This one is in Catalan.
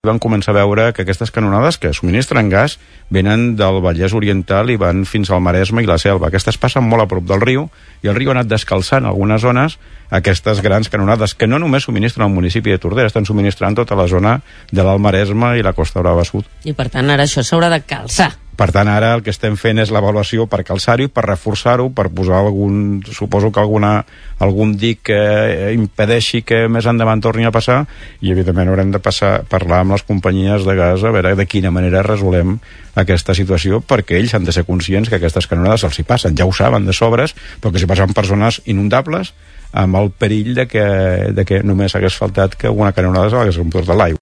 van començar a veure que aquestes canonades que subministren gas venen del Vallès Oriental i van fins al Maresme i la Selva. Aquestes passen molt a prop del riu i el riu ha anat descalçant en algunes zones aquestes grans canonades que no només subministren al municipi de Tordera, estan subministrant tota la zona de l'Alt Maresme i la Costa Brava Sud. I per tant ara això s'haurà de calçar. Per tant, ara el que estem fent és l'avaluació per calçar-ho i per reforçar-ho, per posar suposo que algun dic que impedeixi que més endavant torni a passar, i evidentment haurem de parlar amb les companyies de gas a veure de quina manera resolem aquesta situació, perquè ells han de ser conscients que aquestes canonades els hi passen, ja ho saben de sobres, però que s'hi passen persones inundables amb el perill de que només hagués faltat que una canonada se l'hagués emportat l'aigua.